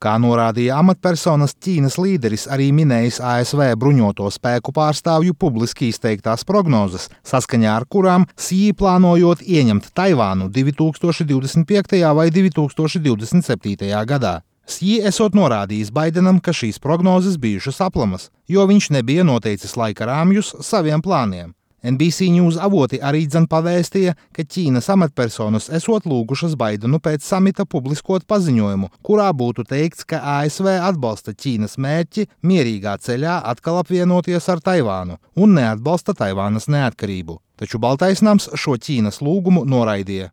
Kā norādīja amatpersonas, Ķīnas līderis arī minējis ASV bruņoto spēku pārstāvju publiski izteiktās prognozes, saskaņā ar kurām Sī plānojot ieņemt Taivānu 2025. vai 2027. gadā. Sī esot norādījis Baidenam, ka šīs prognozes bijušas aplamas, jo viņš nebija noteicis laika rāmjus saviem plāniem. NBC News avoti arī pavēstīja, ka Ķīnas amatpersonas esot lūgušas Baidenu pēc samita publiskot paziņojumu, kurā būtu teikts, ka ASV atbalsta Ķīnas mērķi mierīgā ceļā atkal apvienoties ar Taivānu un neatbalsta Taivānas neatkarību. Taču Baltais nams šo Ķīnas lūgumu noraidīja.